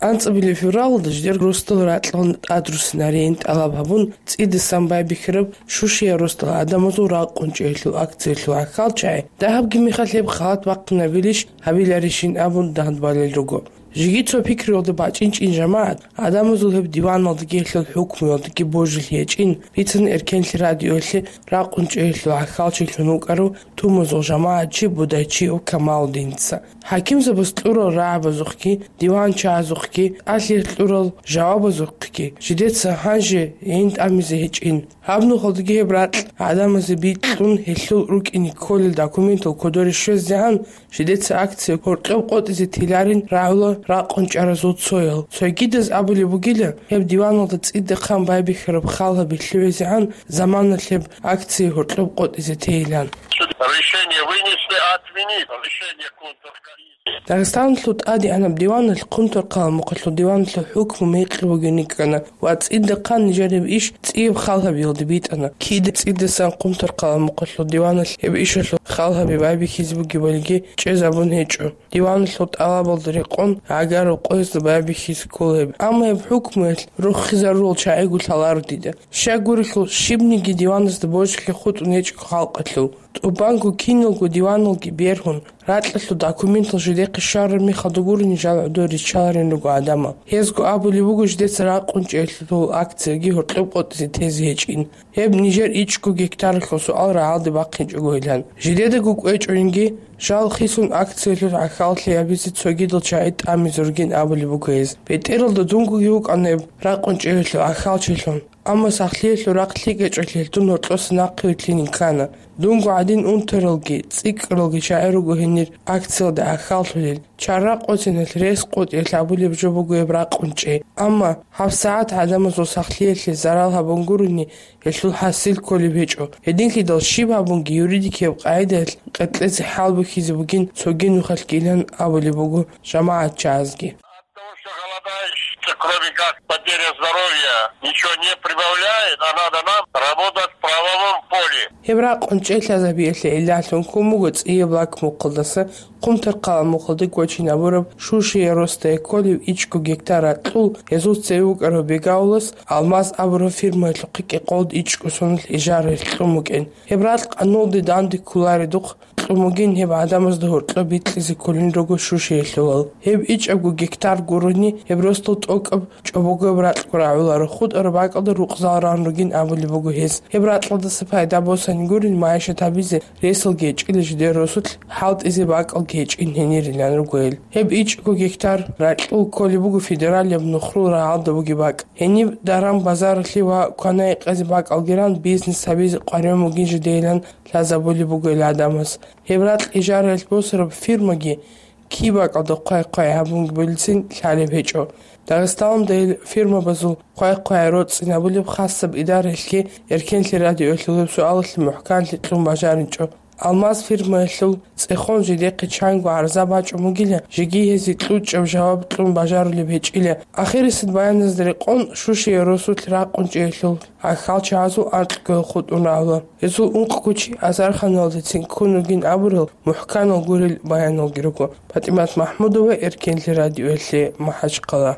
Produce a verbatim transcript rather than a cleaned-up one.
АнцӀабилеб февралалда жидер росдал ракьалда тӀадрусинарейин тӀалаб гьабун, цӀидасан байбихьараб Шушиял росдал гӀадамазул ракъун чӀеялъул акциялъул гӀахьалчагӀи дагьабги мехалъ гьеб халат бахъинабилищ гьабиларищин абун дагьаб балел руго. Жеги цо пикруялда бачӀинчӀин жамагӀат, гӀадамазул гьеб диваналдаги гьелъул хӀукмуялдаги божилъи гьечӀин, бицана Эркенлъи радиоялъе ракъун чӀеялъул гӀахьалчилъун вукӀарав тумузул жамагӀатчи Будайчиев Камалудиница. ХӀакимзабаз кьурал рагӀабазухъги, диванчагьазухъги, алъи кьурал жавабазухъги жидеца гьанже гӀин тӀамизе гьечӀин. Гьаб нухалдаги гьеб ракь гӀадамазе бикьун, гьелъул рукӀине кколел документал кодоре щвезегӀан, жидеца акция гьоркьоб къотӀизе теларин рагӀула ракъун чӀаразул цоял. Цойгидаз абулеб бугила, гьеб диваналда цӀидахъан байбихьараб хал гьаби лъугӀизегӀан заманалъ гьеб акция гьоркьоб къотӀизе тейилан. Решение вынесли отменить решение контркомиссии. Дагъистаналъул тӀадегӀанаб диваналъ Хъумторхъала мухъалъул диваналъул хӀукму мекъи бугин йикӀана ва цӀидахъан нижер гьеб иш цӀияб хал гьабиялде битӀана. Кида цӀидасан Хъумторхъала мухъалъул диваналъ гьеб ишалъул хал гьаби байбихьизе бугебалиги чӀезабун гьечӀо. Диваналъул тӀалабалда рекъон гӀагарал къоязда байбихьизе ккола гьеб. Амма гьеб хӀукмуялъ рохизарурал чагӀиго лъаларо дида. Щайгурелъул, щибниги диваназда божилъи хутӀун гьечӀого халкъалъул. ТӀубанго киналго диваналги бергьун, ракьалъул документал жидехъе щвараб мехалда гурони жал гӀодор риччаларин руго гӀадамал. Гьезго абулеб буго жидеца ракъун чӀеялъул акцияги гьоркьоб къотӀизе тезе гьечӀин. Гьеб нижер ичӀго гектаралъул суал рагӀалде бахъинчӀогойилан. Жидедаго кӀвечӀойинги, жал хисун акциялъул гӀахьаллъи гьабизе цогидал чагӀи тӀамизе ругин абулеб буго гьез. БетӀералда дунгоги вукӀана гьеб ракъун чӀеялъул гӀахьалчилъун. Амма сахлъиялъул рахъ лъикӀ гьечӀолъи гьелдун гьоркьоса нахъе вилълъинин ккана. Дунго гӀадин унтаралги, цӀикӀкӀаралги чагӀи руго гьенир акциялда гӀахьаллъулел. Чара къотӀиналъ рес къотӀиялъ абулеб жо буго гьеб ракъун чӀей. Амма гьабсагӀат гӀадамазул сахлъиялъе зарал гьабун гурони, гьелъул хӀасил кколеб гьечӀо. Гьединлъидал щиб гьабунги юридикияб къагӀидаялъ къеркьезе хӀал бухьизе бугин цоги нухалъгилан абулеб буго жамагӀатчагӀазги. От того, что голодаешь, кроме как потеря здоровья, ничего не прибавляет, а надо нам работать в правовом поле. Гьеб ракъун чӀей лъазабиялъе гӀиллалъун ккун буго цӀияб лак мухъалдаса Хъумторхъала мухъалде гочинабураб Шушиял росдае кколев ичӀго гектар ракьул, гьезул цеве вукӀарав Бегаулас Алмаз абураб фирмаялъухъе кӀикъолда ичӀго соналъ ижаралъ кьун букӀин. Гьеб ракь къанулде данде кколаредухъ кьун бугин, гьеб гӀадамазда гьоркьоб бикьизе кколин руго Шушиялъулал. Гьеб ичӀабго гектар гурони, гьеб росдал тӀокӀаб чӀобогояб ракьго рагӀуларо, хутӀараб бакӀалда рукъзал ран ругин абулеб буго гьес. Гьеб ракьалдаса пайда босани гурин, майишат гьабизе ресалги гьечӀила жидер росулъ, хӀалтӀизе бакӀалги гьечӀин гьенирилан руго гьел. Гьеб ичӀго гектар ракьул кколеб буго федералияб Нухрул рагӀалда бугеб бакӀ. Гьениб даран-базаралъе ва квана-гьекъезе бакӀалги ран бизнес гьабизе къваригӀун бугин жидейилан лъазабулеб буго гьел гӀадамаз. Гьеб ракь ижараялъ босараб фирмаги киб бакӀалда хъвай-хъвай гьабунги болецин лъалеб гьечӀо. Дагъистаналда гьел фирмабазул хъвай-хъвай роцӀцӀинабулеб хасаб идараялъги Эркенлъи радиоялъул гьеб суалалъе мухӀканлъи кьун бажаричӀо. Алмаз фирмаялъул цӀехон жидехъе чанго гӀарза бачӀун бугила, жеги гьезие кьучӀаб жаваб кьун бажарулеб гьечӀила. Ахирисеб баяназда рекъон Шушиял росулъ ракъун чӀеялъул гӀахьалчагӀазул анкьго хутӀун рагӀула. Гьезул ункъго чи Азарханалдецин ккун ругин абурал мухӀканал гурел баяналги руго. ПатӀимат МахӀмудова, Эркенлъи радиоялъе, МахӀачхъала.